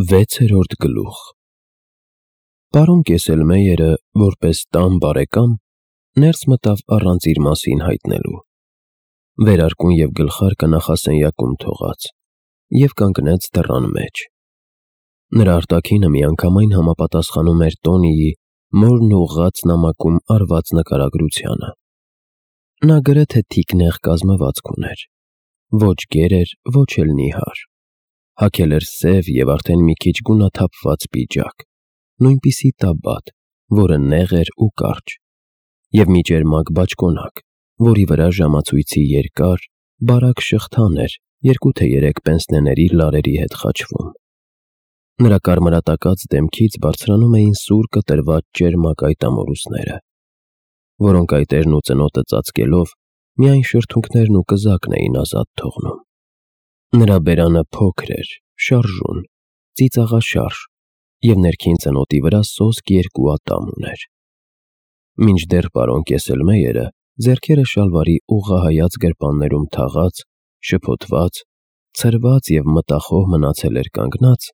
6-րդ գլուխ Պարոն Կեսելմեյերը, որպես տան բարեկամ, ներս մտավ առանց իր մասին հայտնելու, վերարկուն և գլխարկը նախասենյակում թողած, և կանգնեց դռան մեջ: Նրա արտաքինը միանգամայն համապատասխանում էր Տոնիի մորն ուղղած նամակում արված նկարագրությանը: Նա գրեթե թիկնեղ կազմվածք ուներ, ոչ գեր էր, ոչ էլ նիհար: Հագել էր սև և արդեն մի քիչ գունաթափված պիջակ, նույնպիսի տաբատ, որը նեղ էր ու կարճ, և մի ճերմակ բաճկոնակ, որի վրա ժամացույցի երկար, բարակ շղթան էր 2 թե 3 պենսնեների լարերի հետ խաչվում: Նրա կարմրատակած դեմքից բարձրանում էին սուր կտրված ճերմակ այտամորուսները, որոնք այտերն ու ծնոտը ծածկելով, միայն շրթունքներն ու կզակն էին ազատ թողնում: Նրա բերանը փոքր էր, շարժուն, ծիծաղաշարժ և ներքին ծնոտի վրա սոսկ 2 ատամ ուներ: Մինչդեռ պարոն Կեսելմեյերը ձեռքերը շալվարի ուղղահայաց գրպաններում թաղած, շփոթված, ցրված և մտախոհ մնացել էր կանգնած,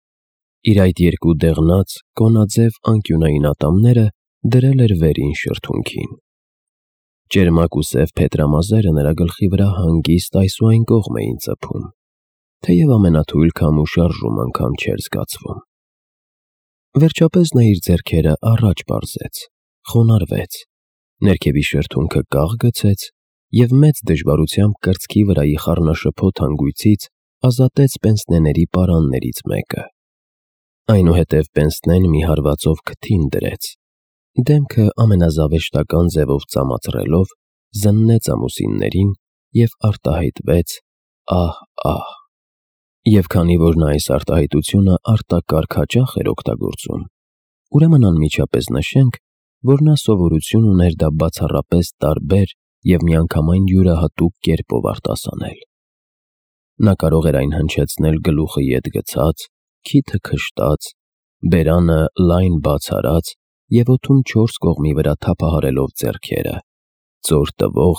իր այդ 2 դեղնած, կոնաձև անկյունային ատամները դրել էր վերին շրթունքին: Ճերմակ ու սև փետրամազերը նրա գլխի վրա հանգիստ այս ու այն կողմ էին ծփում, թեև ամենաթույլ քամ ու շարժում անգամ չէր զգացվում: Վերջապես նա իր ձեռքերը առաջ պարզեց, խոնարհվեց, ներքևի շրթունքը կաղ գցեց և մեծ դժվարությամբ կրծքի վրայի խառնաշփոթ հանգույցից ազատեց պենսնեների պարաններից մեկը: Այնուհետև պենսնեն մի հարվածով քթին դրեց, դեմքը ամենազավեշտական ձևով ծամածռելով, զննեց ամուսիններին և արտահայտվեց ահ-ահ: Եվ քանի որ նա այս արտահայտությունը արտակարգ հաճախ էր օգտագործում, ուրեմն անմիջապես նշենք, որ նա սովորություն ուներ դա բացառապես տարբեր և միանգամայն յուրահատուկ կերպով արտասանել: Նա կարող էր այն հնչեցնել գլուխը ետ գցած, քիթը քշտած, բերանը լայն բաց արած և օդում 4 կողմի վրա թափահարելով ձեռքերը, ծոր տվող,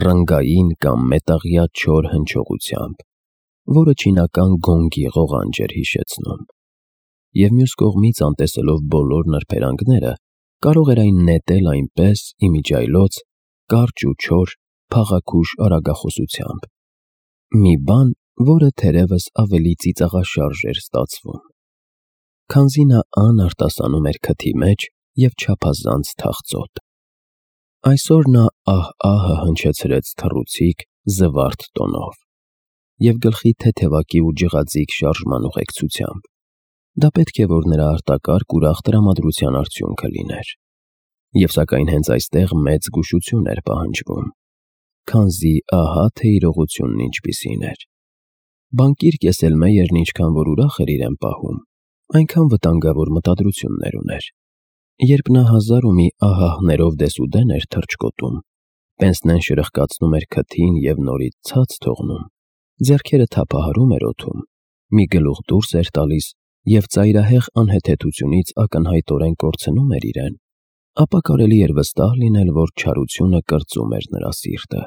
ռնգային կամ մետաղյա չոր հնչողությամբ, որը չինական գոնգի ղողանջ էր հիշեցնում: Եվ մյուս կողմից, անտեսելով բոլոր նրբերանգները, կարող էր այն նետել այնպես, իմիջիայլոց, կարճ ու չոր, փաղաքուշ արագախոսությամբ: Մի բան, որը թերևս ավելի ծիծաղաշարժ էր ստացվում, քանզի նա անարտասանում էր քթի մեջ և չափազանց թախծոտ: Այսօր նա ահ-ահը հնչեցրեց թռուցիկ, զվարթ տոնով և գլխի թեթևակի ու ջղաձիգ շարժման ուղեկցությամբ: Դա պետք է որ նրա արտակարգ ուրախ տրամադրության արդյունքը լիներ: Եվ սակայն հենց այստեղ մեծ զգուշություն էր պահանջվում, քանզի ահա թե իրողությունն ինչպիսին էր: Բանկիր Կեսելմեյերն ինչքան որ ուրախ էր իրեն պահում, այնքան վտանգավոր մտադրություններ ուներ: Երբ նա հազար ու մի ահահներով դեսուդեն էր թռչկոտում, պենսնեն շրխկացնում էր քթին և նորից ցած թողնում, ձեռքերը թափահարում էր օդում, մի գլուխ դուրս էր տալիս և ծայրահեղ անհեթեթությունից ակնհայտորեն կորցնում էր իրեն, ապա կարելի էր վստահ լինել, որ չարությունը կրծում էր նրա սիրտը: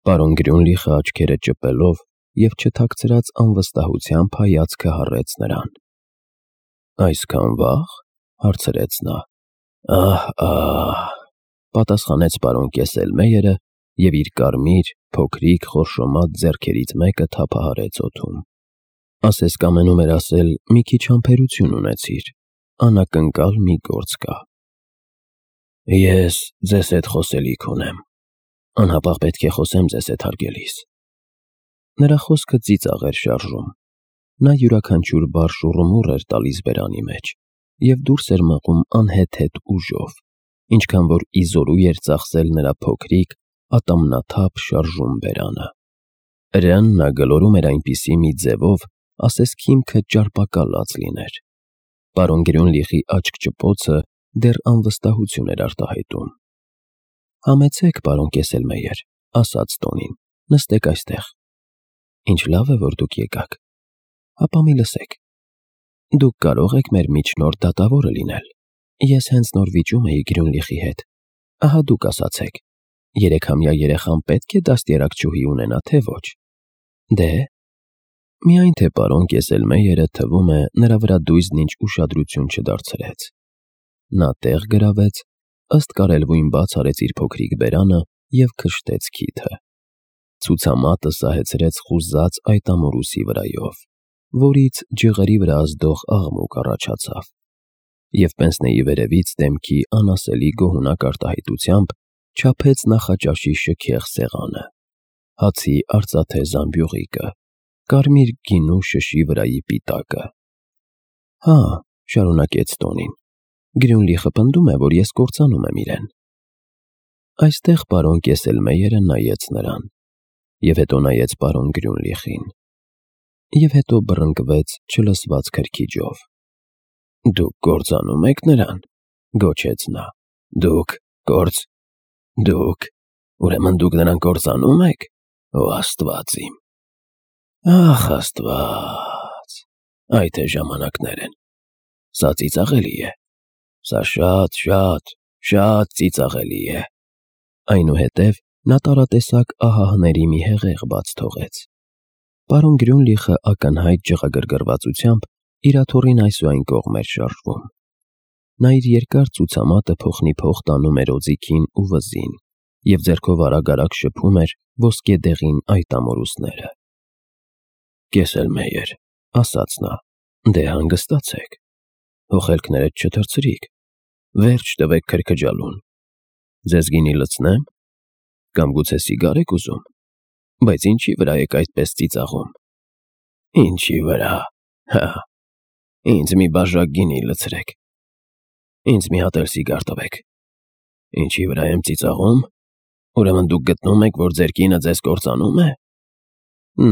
Պարոն Գրյունլիխը աչքերը ճպելով և չթաքցրած անվստահությամբ հայացքը հառեց նրան: Այսքան վաղ: Հարցրեց նա: Ահ-ահ, պատասխանեց պարոն Կեսելմեյերը և իր կարմիր, փոքրիկ, խորշոմած ձեռքերից մեկը թափահարեց օդում: Ասես կամենում էր ասել. մի քիչ համբերություն ունեցիր, անակնկալ մի գործ կա: Ես ձեզ հետ խոսելիք ունեմ, անհապաղ պետք է խոսեմ ձեզ հետ հարգելիս: Նրա խոսքը ծիծաղ էր շարժում: Նա յուրաքանչյուր բառ շուռումուռ էր տալիս բերանի մեջ և դուրս էր մղում անհեթեթ ուժով, ինչքան որ իզօրու էր ծախսել նրա փոքրիկ, ատամնաթափ շարժուն բերանը: Հրեան նա գլորում էր այնպիսի մի ձևով, ասես քիմքը ճարպակալած լիներ: Պարոն Գրյունլիխի աչք ճպոցը դեռ անվստահություն էր արտահայտում: Համեցեք, պարոն Կեսելմեյեր, ասաց Տոնին, նստեք այստեղ: Ինչ լավ է, որ դուք եկաք: Հապա մի լսեք: Դուք կարող եք մեր միջնորդ դատավորը լինել: Ես հենց նոր վիճում էի Գրյունլիխի հետ: Ահա դուք ասացեք, 3-ամյա երեխան պետք է դաստիարակչուհի ունենա, թե ոչ: Դե՞: Միայն թե պարոն Կեսելմեյերը թվում է նրա վրա դույզն ինչ ուշադրություն չդարձրեց։ Նա տեղ գրավեց, ըստ կարելվույն բաց արեց իր փոքրիկ բերանը և քշտեց քիթը։ Ցուցամատը սահեցրեց խուզած այդ ամորուսի վրայով, որից ջղերի վրա ազդող աղմուկ առաջացավ, և պենսնեի վերևից դեմքի անասելի գոհունակ արտահայտությամբ չափեց նախաճաշի շքեղ սեղանը, հացի արծաթե զամբյուղիկը, կարմիր գինու շշի վրայի պիտակը։ «Հա», շարունակեց Տոնին, «Գրյունլիխը պնդում է, որ ես կործանում եմ իրեն»։ Այստեղ պարոն Կեսելմեյերը նայեց նրան, և հետո նայեց պարոն Գրյունլիխին, և հետո բռնկվեց չլսված քրքիջով։ «Դուք կործանում եք նրան», գոչեց նա, «Դուք, ուրեմն դուք նրան կործանում եք, օ Աստված իմ, ախ Աստված, այ թե ժամանակներ են, սա ծիծաղելի է, սա շատ ծիծաղելի է»։ Այնուհետև նա տարատեսակ ահահների մի հեղեղ բաց թողեց։ Պարոն Գրյունլիխը ակնհայտ ջղագրգռվածությամբ իր աթոռին այս ու այն կողմ էր շարժվում։ Նա իր երկար ցուցամատը փոխնիփոխ տանում էր օձիքին ու վզին և ձեռքով արագ շփում էր ոսկեդեղին այդ ամորուսները։ «Կեսելմեյեր», ասաց նա, «դե հանգստացեք, հոխելքներդ չթռցրիք, վերջ տվեք քրքջալուն։ Ձեզ գինի լցնե՞մ, կամ գուցե սիգար եք ուզում, բայց ինչի վրա եք այդպես ծիծաղում»։ «Ինչի վրա, հա, ինձ մի բաժակ գինի լցրեք, ինձ մի հատ էլ սիգար տվեք։ Ինչի վրա եմ ծիծաղում, ուրեմն դուք գտնում եք, որ ձեր կինը ձեզ կործանում է»։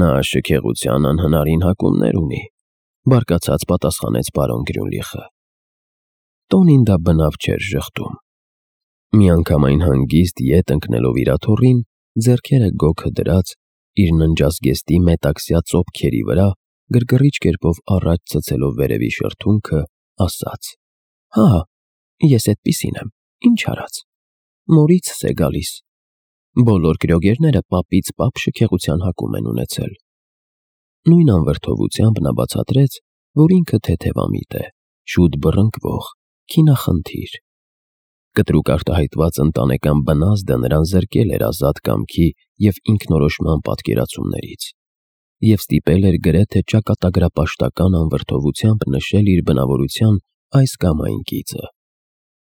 Նա շքեղության անհնարին հակումներ ունի, բարկացած պատասխանեց պարոն Գրյունլիխը։ Տոնին դա բնավ չէր ժխտում։ Միանգամայն հանգիստ ետ ընկնելով իր աթոռին, ձեռքերը գոգը դրած, իր ննջազգեստի մետաքսյա ծոփքերի վրա, գրգռիչ կերպով առաջ ցցելով վերևի շրթունքը, ասաց. «Հա, ես էդպիսին եմ, ինչ արած, մորիցս է գալիս։ Բոլոր գրոգերները պապից պապ շքեղության հակում են ունեցել»։ Նույն անվրդովությամբ նա բացատրեց, որ ինքը թեթևամիտ է, շուտ բռնկվող, քինախնդիր։ Կտրուկ արտահայտված ընտանեկան բնազդը նրան զրկել էր ազատ կամքի և ինքնորոշման պատկերացումներից, և ստիպել էր գրեթե ճակատագրապաշտական անվրդովությամբ նշել իր բնավորության այս կամ այն կիծը,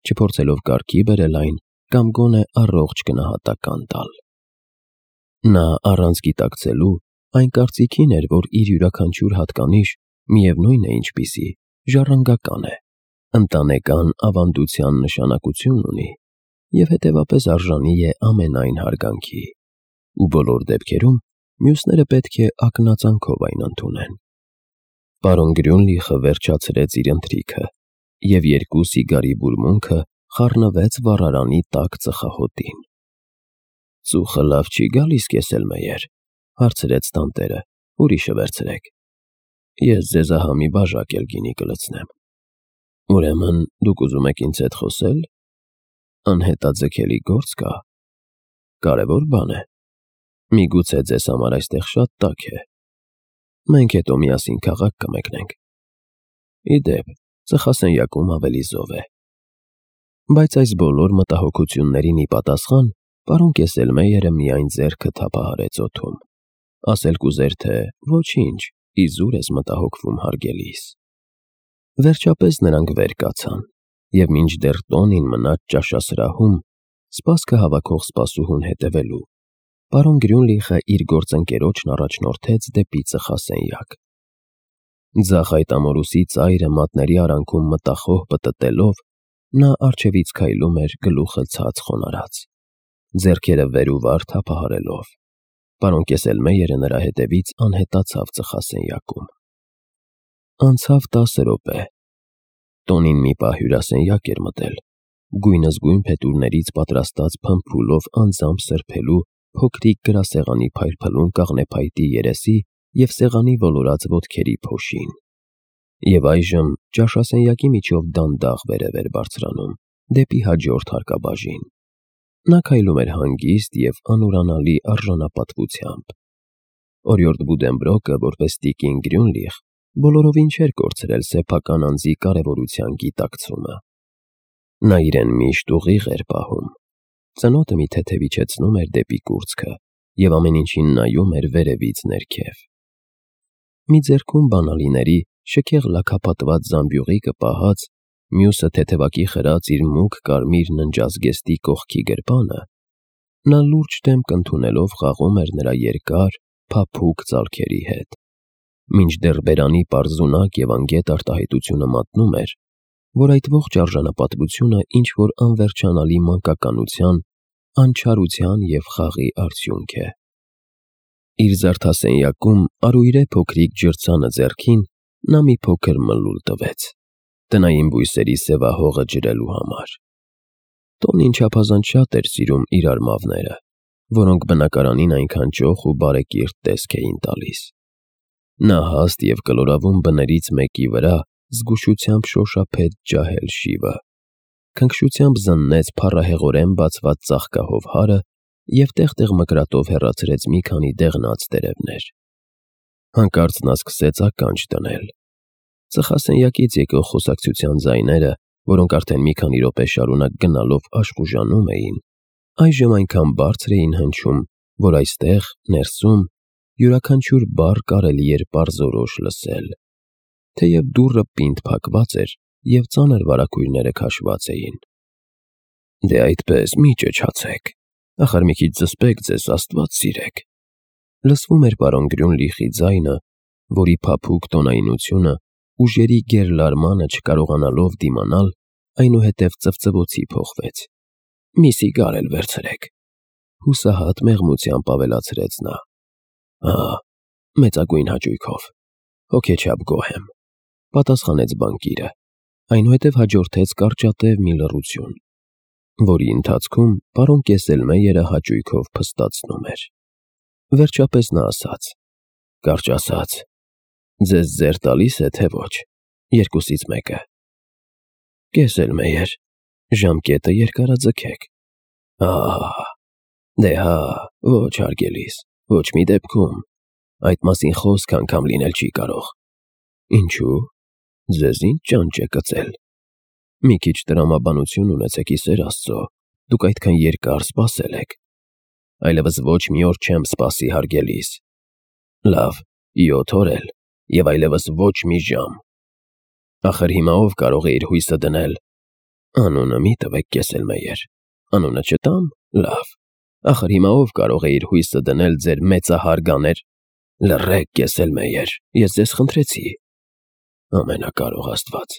չփորձելով կարգի բերել այն կամ գոնե առողջ գնահատական տալ։ Նա առանց գիտակցելու այն կարծիքին էր, որ իր յուրաքանչյուր հատկանիշ, միևնույն է ինչպիսի, ժառանգական է, ընտանեկան ավանդության նշանակություն ունի և հետևապես արժանի է ամենայն հարգանքի, ու բոլոր դեպքերում մյուսները պետք է ակնածանքով այն ընդունեն։ Պարոն Գրյունլիխը վերջացրեց իր ընթրիքը, և երկու սիգարի բուրմունքը խառնվեց վառարանի տաք ծխախոտին։ «Ծուխը լավ չի գալիս, Կեսելմեյեր», հարցրեց տանտերը, «ուրիշը վերցրեք, ես ձեզ ահա մի բաժակ էլ գինի կլցնեմ»։ «Ուրեմն դուք ուզում եք ինձ հետ խոսել, անհետաձգելի գործ կա, կարևոր բան է, միգուցե ձեզ համար այստեղ շատ տաք է, մենք հետո միասին քաղաք կմեկնենք։ Ի դեպ, ծխասենյակում ավելի զով է»։ Բայց այս բոլոր մտահոգություններին ի պատասխան պարոն Կեսելմեյերը միայն ձեռքը թափահարեց օդում, ասել կուզեր, թե «ոչինչ, իզուր ես մտահոգվում, հարգելիս»։ Վերջապես նրանք վեր կացան, և մինչդեռ Տոնին մնաց ճաշասրահում, սպասքը հավաքող սպասուհուն հետևելու, պարոն Գրյունլիխը իր գործընկերոջն առաջնորդեց դեպի ծխասենյակ։ Ձախ այդ ամորուսի ծայրը մատների արանքում մտախոհ պտտելով, նա առջևից քայլում էր գլուխը ցած խոնարհած, ձեռքերը վեր ու վար թափահարելով։ Պարոն Կեսելմեյերը նրա հետևից անհետացավ ծխասենյակում։ Անցավ 10 րոպե։ Տոնին մի պահ հյուրասենյակ էր մտել, գույնզգույն փետուրներից պատրաստած փամփուլով անձամբ սրբելու փոքրիկ գրասեղանի փայլփլուն կաղնեփայտի երեսի և սեղանի ոլորած ոտքերի փոշին։ Եվ այժմ ճաշասենյակի միջով դանդաղ վերև էր բարձրանում, դեպի հաջորդ հարկաբաժին։ Նա քայլում էր հանգիստ և անուրանալի արժանապատվությամբ։ Օրիորդ Բուդենբրոկը, որպես տիկին Գրյունլիխ, բոլորովին չէր կորցրել սեփական անձի կարևորության գիտակցումը։ Նա իրեն միշտ ուղիղ էր պահում, ծնոտը մի թեթև իջեցնում էր դեպի կուրծքը և ամեն ինչին նայում էր վերևից ներքև։ Մի ձեռքում բանալիների շքեղ լաքապատված զամբյուղիկը պահած, մյուսը թեթևակի խրած իր մուգ կարմիր ննջազգեստի կողքի գրպանը, նա լուրջ դեմք ընդունելով խաղում էր նրա երկար, փափուկ ծալքերի հետ, մինչդեռ բերանի պարզունակ և անգետ արտահայտությունը մատնում էր, որ այդ ողջ արժանապատվությունը ինչ-որ անվերջանալի մանկականության, անչարության և խաղի արդյունք է։ Իր զարդասենյակում արույրե փոքրիկ ջրցանը ձեռքին նա մի փոքր մլուլ տվեց, տնային բույսերի սևահողը ջրելու համար։ Տոնին չափազանց շատ էր սիրում իր արմավները, որոնք բնակարանին այնքան ճոխ ու բարեկիրթ տեսք էին տալիս։ Նա հաստ և կլորավուն բներից մեկի վրա զգուշությամբ շոշափեց ջահել շիվը, քնքշությամբ զննեց փառահեղորեն բացված ծաղկահով հարը և տեղ-տեղ մկրատով հեռացրեց մի քանի դեղնած տերևներ։ Հանկարծ նա սկսեց ականջ դնել։ Ծխասենյակից եկող խոսակցության ձայները, որոնք արդեն մի քանի րոպե շարունակ գնալով աշխուժանում էին, այժմ այնքան բարձր էին հնչում, որ այստեղ, ներսում, յուրաքանչյուր բառ կարելի էր պարզորոշ լսել, թեև դուռը պինդ փակված էր և ծանր վարագույրները քաշված էին։ «Դե այդպես, մի ճչացեք, ախար մի քիչ զսպեք ձեզ, Աստված սիրեք», լսվում էր պարոն Գրյունլիխի ձայնը, որի փափուկ տոնայնությունը ուժերի գերլարմանը չկարողանալով դիմանալ, այնուհետև ծվծվոցի փոխվեց։ «Մի սիգար էլ վերցրեք», հուսահատ մեղմությամբ ավելացրեց նա։ Մեծագույն հաճույքով, հոգեչափ գոհ եմ, պատասխանեց բանկիրը, այնուհետև հաջորդեց կարճատև մի լռություն, որի ընթացքում պարոն Կեսելմեյերը հաճույքով փստացնում էր։ Վերջապես նա ասաց. «Կարճ ասած, ձեզ ձեռ տալի՞ս է, թե ոչ, երկուսից մեկը»։ «Կեսելմեյեր, ժամկետը երկարաձգեք»։ Դե հա, ոչ հարգելիս, ոչ մի դեպքում, այդ մասին խոսք անգամ լինել չի կարող։ Ինչու՞, ձեզ ինչ ճանճ է կծել։ Մի քիչ տրամաբանություն ունեցեք, ի սեր Աստծո, դուք այդքան երկար սպասել եք։ Այլևս ոչ մի օր չեմ սպասի, հարգելիս։ Լավ, 7 օր էլ, և այլևս ոչ մի ժամ։ Ախր հիմա ով կարող է իր հույսը դնել։ Անունը մի տվեք, Կեսելմեյեր, անունը չտամ, լավ։ Ախր հիմա ով կարող է իր հույսը դնել ձեր մեծահարգաներ։ Լռեք, Կեսելմեյեր, ես ձեզ խնդրեցի։ Ամենակարող Աստված,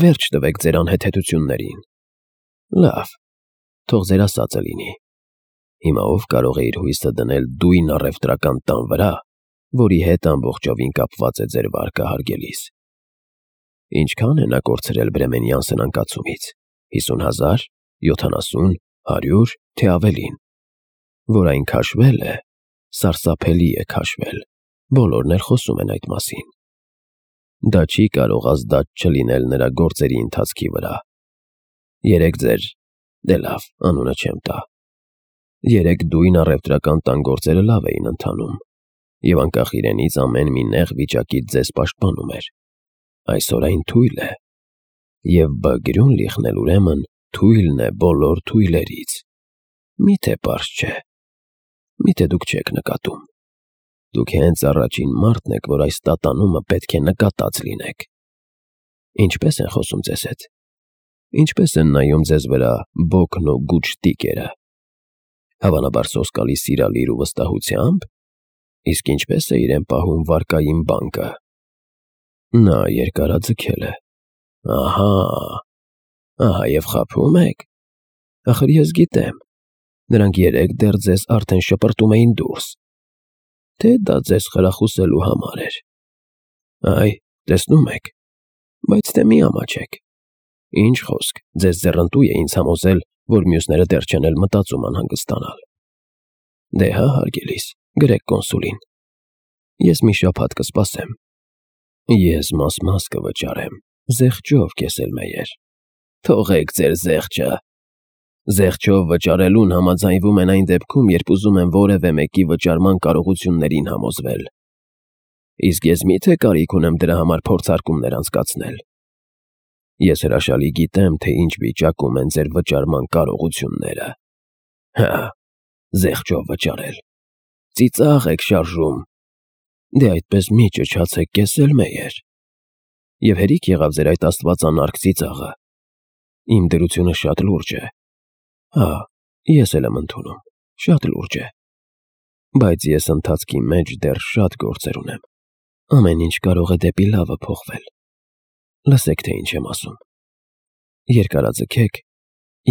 վերջ տվեք ձեր անհեթեթություններին։ Լավ, թող ձեր ասածը լինի։ Հիմա ով կարող է իր հույսը դնել դույն առևտրական տան վրա, որի հետ ամբողջովին կապված է ձեր վարկը, հարգելիս։ Ինչքան է նա կորցրել Բրեմենյան սնանկացումից, 50,000, 70, 100, թե ավելին։ Որ այն քաշվել է, սարսափելի է քաշվել, բոլորն էլ խոսում են այդ մասին։ Դա չի կարող ազդած չլինել նրա գործերի ընթացքի վրա։ Երեք ձեր, դե լավ, անունը չեմ տա։ Երեք դույն առևտրական տան գործերը լավ էին ընթանում, և անկախ իրենից ամեն մի նեղ վիճակից ձեզ պաշտպանում էր։ Այսօր այն թույլ է, և Բ. Գրյունլիխն էլ ուրեմն թույլն է բոլոր թույլերից։ Մի՞թե պարզ չէ։ Մի՞թե դուք չեք նկատում։ Դուք հենց առաջին մարդն եք, որ այս տատանումը պետք է նկատած լինեք։ Ինչպե՞ս են խոսում ձեզ հետ։ Ինչպե՞ս են նայում ձեզ վրա Բոքն ու Գուտշտիկերը։ Հավանաբար սոսկալի սիրալիր ու վստահությամբ։ Իսկ ինչպե՞ս է իրեն պահում վարկային բանկը։ Նա երկարաձգել է։ Ահա և խաբում եք։ Ախր ես գիտեմ, նրանք երեկ դեռ ձեզ արդեն շպրտում էին դուրս։ Թե դա ձեզ խրախուսելու համար էր։ Այ, տեսնում եք, բայց թե մի ամաչեք։ Ինչ խոսք, ձեզ ձեռնտու է ինձ համոզել, որ մյուսները դեռ չեն էլ մտածում անհանգստանալ։ Դե հա, հարգելիս, գրեք կոնսուլին։ Ես մի շաբաթ կսպասեմ։ Ես մաս կվճարեմ, զեղչով, Կեսելմեյեր։ Թողեք ձեր զեղչը։ Զեղչով վճարելուն համաձայնվում են այն դեպքում, երբ ուզում են որևէ մեկի վճարման կարողություններին համոզվել։ Իսկ ես միթե կարիք ունեմ դրա համար փորձարկումներ անցկացնել։ Ես հրաշալի գիտեմ, թե ինչ վիճակում են ձեր վճարման կարողությունները։ Հա, զեղչով վճարել։ Ծիծաղ եք շարժում։ Դե այդպես մի ճչացեք կեսելմեյեր։ Եվ հերիք եղավ ձեր այդ աստվածանարք ծիծաղը։ Իմ դրությունը շատ լուրջ է։ Հա, ես էլ եմ ընդունում, շատ լուրջ է։ Բայց ես ընթացքի մեջ դեռ շատ գործեր ունեմ։ Ամեն ինչ կարող է դեպի լավը փոխվել։ Լսեք, թե ինչ եմ ասում։ Երկարաձգեք,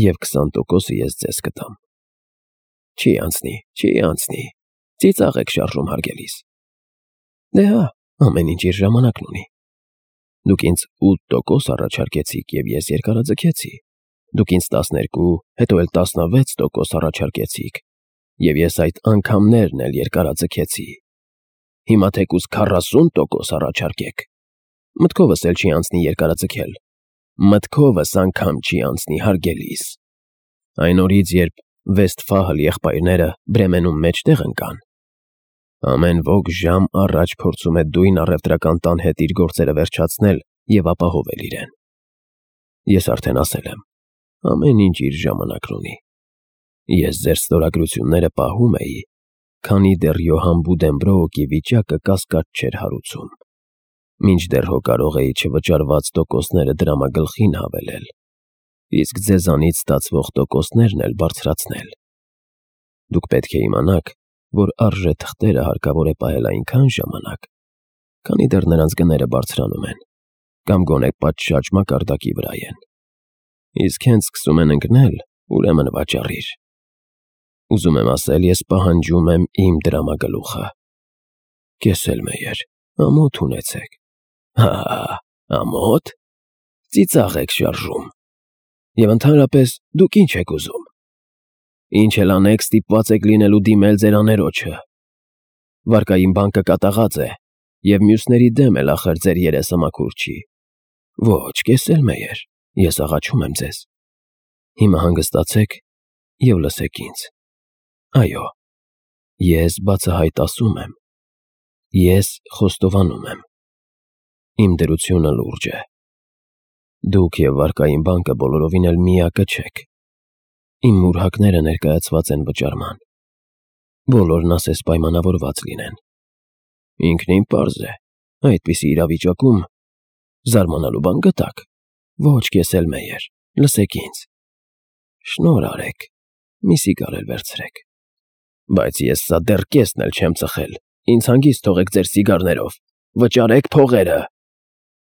և 20%-ը ես ձեզ կտամ։ Չի անցնի, ծիծաղ եք շարժում հարգելիս։ Դե հա, ամեն ինչ իր ժամանակն ունի։ Դուք ինձ 8% առաջարկեցիք, և ես երկարաձգեցի։ Դուք ինձ 12, հետո էլ 16% առաջարկեցիք, և ես այդ անգամներն էլ երկարաձգեցի։ Հիմա թեկուզ 40% առաջարկեք։ Մտքովս էլ չի անցնի երկարաձգել։ Մտքովս անգամ չի անցնի հարգելիս։ Այն օրից, երբ Վեստֆահլ եղբայրները Բրեմենում մեջտեղ ընկան, ամեն ոք ժամ առաջ փորձում է դույն առևտրական տան հետ իր գործերը վերջացնել և ապահովել իրեն։ Ես արդեն ասել եմ, ամեն ինչ իր ժամանակն ունի։ Ես ձեր ստորագրությունները պահում էի, քանի դեռ Յոհան Բուդենբրոուկի վիճակը կասկած չէր հարուցում։ Մինչդեռ հո կարող էի չվճարված տոկոսները դրամագլխին հավելել, իսկ ձեզանից ստացվող տոկոսներն էլ բարձրացնել։ Դուք պետք է իմանաք, որ արժե թղթերը հարկավոր է պահել այնքան ժամանակ, քանի դեռ նրանց գները բարձրանում են, կամ գոնե պատշաճ մակարդակի վրա են։ Իսկ հենց սկսում են ընկնել, ուրեմն վաճառիր։ Ուզում եմ ասել, ես պահանջում եմ իմ դրամագլուխը։ Կեսելմեյեր, ամոթ ունեցեք։ Հա, ամոթ։ Ծիծաղ եք շարժում։ Եվ ընդհանրապես դուք ինչ եք ուզում։ Ինչ էլ անեք, ստիպված եք լինելու դիմել ձեր աներոջը։ Վարկային բանկը կատաղած է, և մյուսների դեմ էլ ախր ձեր երեսը մաքուր չի։ Ոչ, կեսելմեյեր, ես աղաչում եմ ձեզ։ Հիմա հանգստացեք և լսեք ինձ։ Այո, ես բացահայտ ասում եմ։ Ես խոստովանում եմ։ Իմ դրությունը լուրջ է։ Դուք և վարկային բանկը բոլորովին էլ միակը չեք։ Իմ մուրհակները ներկայացված են վճարման։ Բոլորն ասես պայմանավորված լինեն։ Ինքնին պարզ է, այդպիսի իրավիճակում զարմանալու բան գտաք։ Ոչ, կեսելմեյեր, լսեք ինձ։ Շնորհ արեք, մի սիգար էլ վերցրեք։ Բայց ես սա դեռ կեսն էլ չեմ ծխել, ինձ հանգիստ թողեք ձեր սիգարներով, վճարեք փողերը։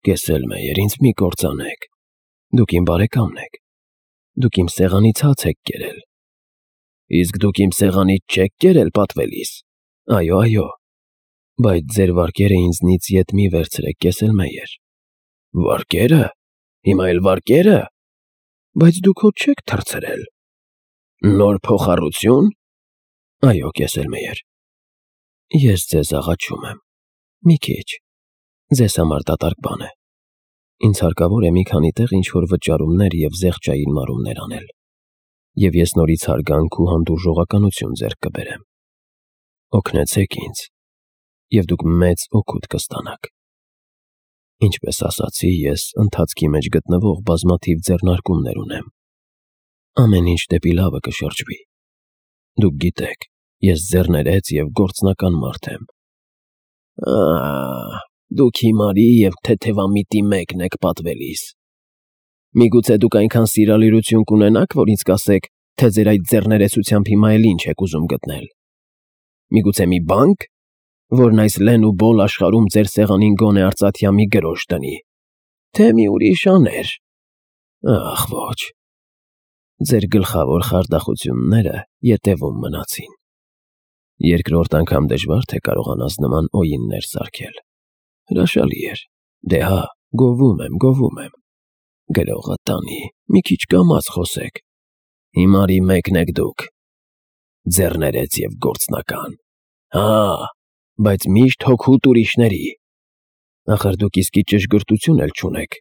Կեսելմեյեր, ինձ մի կործանեք, դուք իմ բարեկամն եք, դուք իմ սեղանից հաց եք կերել։ Իսկ դուք իմ սեղանից չեք կերել պատվելիս։ Այո, բայց ձեր վարկերը ինձնից ետ մի վերցրեք, կեսելմեյեր։ Վարկերը։ Հիմա էլ վարկերը։ Բայց դուք հո չեք թռցրել։ Նոր փոխառություն։ Այո, կեսելմեյեր։ Ես ձեզ աղաչում եմ։ Մի քիչ։ Ձեզ համար դատարկ բան է։ Ինձ հարկավոր է մի քանի տեղ ինչ-որ վճարումներ և զեղչային մարումներ անել, և ես նորից հարգանք ու հանդուրժողականություն ձեռք կբերեմ։ Օգնեցեք ինձ, և դուք մեծ օգուտ կստանաք։ Ինչպես ասացի, ես ընթացքի մեջ գտնվող բազմաթիվ ձեռնարկումներ ունեմ։ Ամեն ինչ դեպի լավը կշրջվի։ Դուք գիտեք, ես ձեռներեց և գործնական մարդ եմ։ Դուք հիմարի և թեթևամիտի մեկն եք պատվելիս։ Միգուցե դուք այնքան սիրալիրություն կունենաք, որ ինձ կասեք, թե ձեր այդ ձեռներեցությամբ հիմա էլ ինչ եք ուզում գտնել։ Միգուցե մի բանկ, որն այս լեն ու բոլ աշխարհում ձեր սեղանին գոնե արծաթյա մի գրոշ տնի, թե մի ուրիշ աներ։ Ախ, ոչ։ Ձեր գլխավոր խարդախությունները ետևում մնացին։ Երկրորդ անգամ դժվար թե կարողանաս նման օյիններ սարքել։ Հրաշալի էր։ Դե հա, գովում եմ։ Գրողը տանի, մի քիչ կամաց խոսեք։ Հիմարի մեկն եք դուք։ Ձեռներեց և գործնական։ Հա, բայց միշտ հոգուտ ուրիշների։ Ախր դուք իսկի ճշգրտություն էլ չունեք։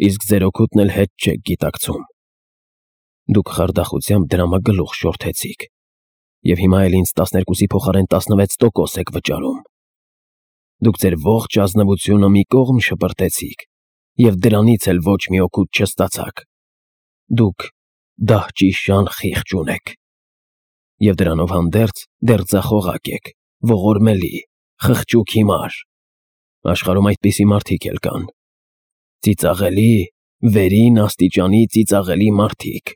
Իսկ ձեր օգուտն էլ հետ չեք գիտակցում։ Դուք խարդախությամբ դրամը գլուխ շորթեցիք, և հիմա էլ ինձ 12-ի փոխարեն 16% եք վճարում։ Դուք ձեր ողջ ազնվությունը մի կողմ շպրտեցիք, և դրանից էլ ոչ մի օգուտ չստացաք։ Դուք դահճի շան խիղճ ունեք, և դրանով հանդերձ դեռ ձախողակ եք, ողորմելի, խղճուկ հիմար։ Աշխարհում այդպիսի մարդիկ էլ կան։ Ծիծաղելի, վերին աստիճանի ծիծաղելի մարդիկ։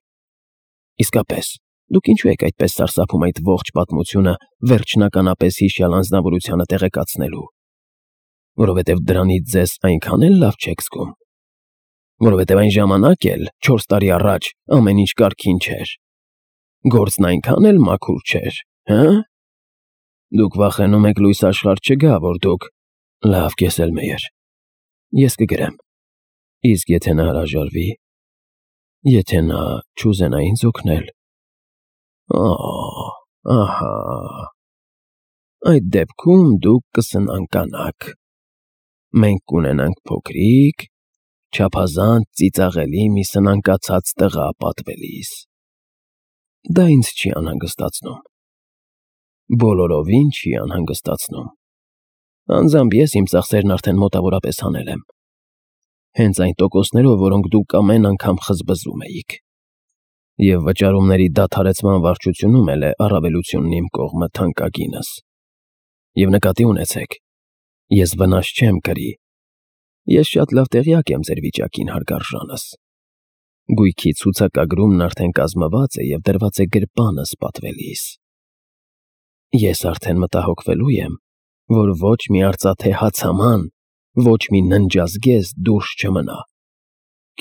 Իսկապես, դուք ինչու եք այդպես սարսափում այդ ողջ պատմությունը վերջնականապես հիշյալ անձնավորությանը տեղեկացնելու։ Որովհետև դրանից ձեզ այնքան էլ լավ չեք զգում։ Որովհետև այն ժամանակ էլ, 4 տարի առաջ, ամեն ինչ կարգին չէր։ Գործն այնքան էլ մաքուր չէր, հը՞։ Դուք վախենում եք լույս աշխարհ չգա, որ դուք… Լավ, Գեսելմեյեր, ես կգրեմ։ Իսկ եթե նա հրաժարվի, եթե նա չուզենա ինձ օգնել… Ահա… Այդ դեպքում դուք կսնանկանաք։ Մենք կունենանք փոքրիկ, չափազանց ծիծաղելի մի սնանկացած տղա պատվելիս։ Դա ինձ չի անհանգստացնում։ Բոլորովին չի անհանգստացնում։ Անձամբ ես իմ ծախսերն արդեն մոտավորապես հանել եմ։ Հենց այն տոկոսներով, որոնք դուք ամեն անգամ խզբզում էիք։ Եվ վճարումների դադարեցման վարչությունում էլ է առավելությունն իմ կողմը թանկագինս։ Եվ նկատի ունեցեք, ես վնաս չեմ կրի։ Ես շատ լավ տեղյակ եմ ձեր վիճակին, հարգարժանս։ Գույքի ցուցակագրումն արդեն կազմված է և դրված է գրպանս պատվելիս։ Ես արդեն մտահոգվելու եմ, որ ոչ մի արծաթե հացաման, ոչ մի ննջազգեստ դուրս չմնա։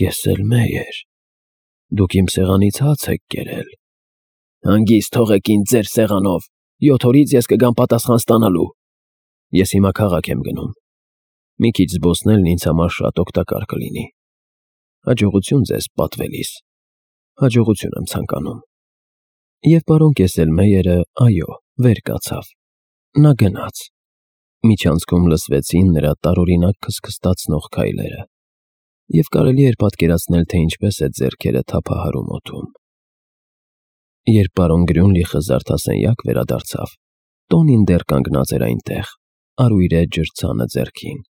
Գեսելմեյեր, դուք իմ սեղանից հաց եք կերել։ Հանգիստ թողեք ինձ ձեր սեղանով, 7 օրից ես կգամ պատասխան ստանալու։ Ես հիմա քաղաք եմ գնում։ Մի քիչ զբոսնելն ինձ համար շատ օգտակար կլինի։ Հաջողություն ձեզ, պատվելիս։ Հաջողություն եմ ցանկանում։ Եվ պարոն Գեսելմեյերը, այո, վեր կացավ։ Նա գնաց։ Միջանցքում լսվեցին նրա տարօրինակ քստքստացնող քայլերը, և կարելի էր պատկերացնել, թե ինչպես է ձեռքերը թափահարում օդում։ Երբ պարոն Գրյունլիխը զարդասենյակ վերադարձավ, Տոնին դեռ կանգնած էր այնտեղ, արույրե ջրցանը ձեռքին,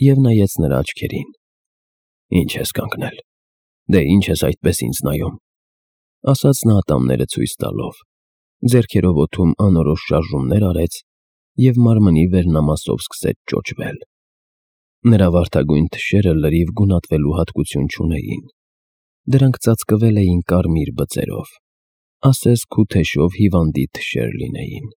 և նայեց նրա աչքերին։ Ինչ ես կանգնել, դե ինչ ես այդպես ինձ նայում, ասաց նա ատամները ցույց տալով, ձեռքերով օդում անորոշ շարժումներ արեց և մարմնի վերնամասով սկսեց ճոճվել։ Նրա վարդագույն թշերը լրիվ գունատվելու հատկություն չունեին։ Դրանք ծածկվել էին կարմիր բծերով, ասես քութեշով հիվանդի թշեր լինեին։